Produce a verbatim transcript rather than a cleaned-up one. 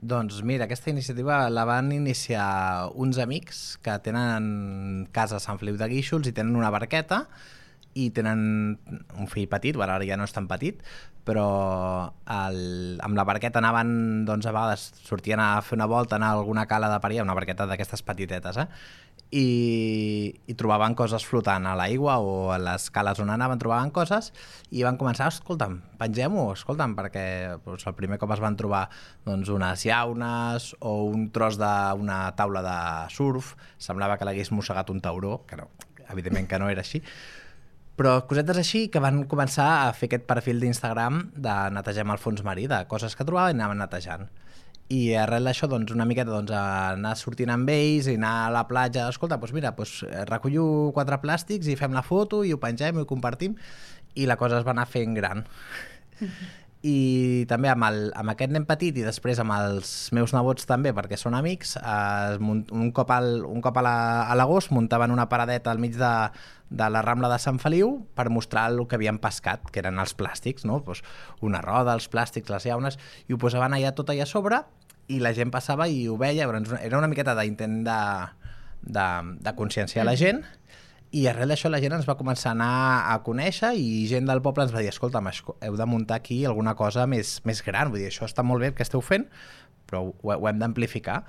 Doncs mira, aquesta iniciativa la van iniciar uns amics que tenen casa a Sant Feliu de Guíxols i tenen una barqueta i tenen un fill petit, bueno, ara ja no és tan petit, però el, amb la barqueta anaven, doncs a vegades sortien a fer una volta, anar a alguna cala de paria, una barqueta d'aquestes petitetes, eh? I, i trobaven coses flotant a l'aigua o a les cales on anaven trobaven coses i van començar, escolta'm, pengem-ho, escolta'm, perquè doncs, el primer cop es van trobar doncs, unes llaunes o un tros d'una taula de surf, semblava que l'hagués mossegat un tauró, que no, evidentment que no era així, però cosetes així que van començar a fer aquest perfil d'Instagram de netegem el fons marí, de coses que trobaven i anaven netejant. I arrel d'això, doncs, una miqueta doncs, anar sortint amb ells i anar a la platja, escolta, doncs mira, doncs, recollo quatre plàstics i fem la foto i ho pengem i ho compartim, i la cosa es va anar fent gran. Mm-hmm. I també amb, el, amb aquest nen petit i després amb els meus nebots també, perquè són amics, eh, un cop, al, un cop a l'agost muntaven una paradeta al mig de, de la Rambla de Sant Feliu per mostrar el que havien pescat, que eren els plàstics, no? Pues una roda, els plàstics, les llaunes, i ho posaven allà tot allà a sobre i la gent passava i ho veia, era una miqueta d'intent de, de, de conscienciar la gent, i arrel d'això la gent ens va començar a anar a conèixer i gent del poble ens va dir, escolta, heu de muntar aquí alguna cosa més, més gran, vull dir, això està molt bé el que esteu fent, però ho, ho hem d'amplificar.